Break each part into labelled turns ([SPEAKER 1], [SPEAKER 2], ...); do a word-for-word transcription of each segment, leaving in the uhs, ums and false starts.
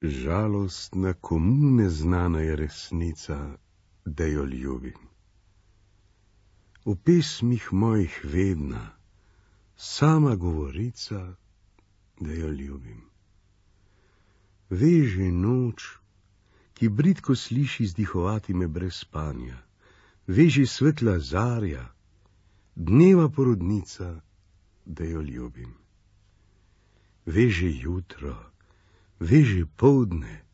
[SPEAKER 1] Žalostna, komu neznana je resnica, da jo ljubim. V pesmih mojih vedna, sama govorica, da jo ljubim. Veže noč, ki bridko sliši zdihovati me brez spanja, veže svetla zarja, dneva porodnica, da jo ljubim. Veže jutro, veže poldne,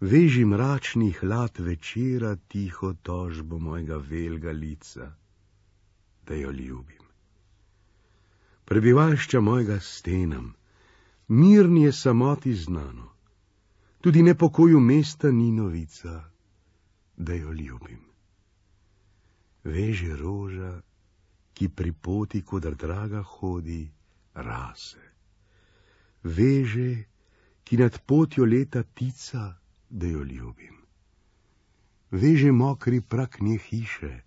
[SPEAKER 1] veži mračni hlad večera tiho tožbo mojega velga lica, da jo ljubim. Prebivalšča mojega stenam, mirni je samoti znano, tudi nepokoju mesta ni novica, da jo ljubim. Veže roža, ki pri poti, kodar draga hodi, rase. Veže, ki nad potjo leta tica, da jo ljubim. Veže mokri prak nje hiše,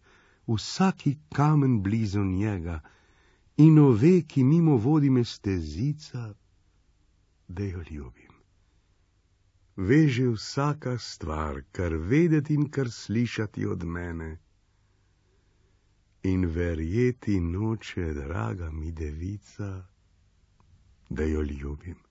[SPEAKER 1] vsaki kamen blizu njega, in ove, ki mimo vodi me stezica, da jo ljubim. Veže vsaka stvar, kar vedeti in kar slišati od mene, in verjeti noče, draga mi devica, da jo ljubim.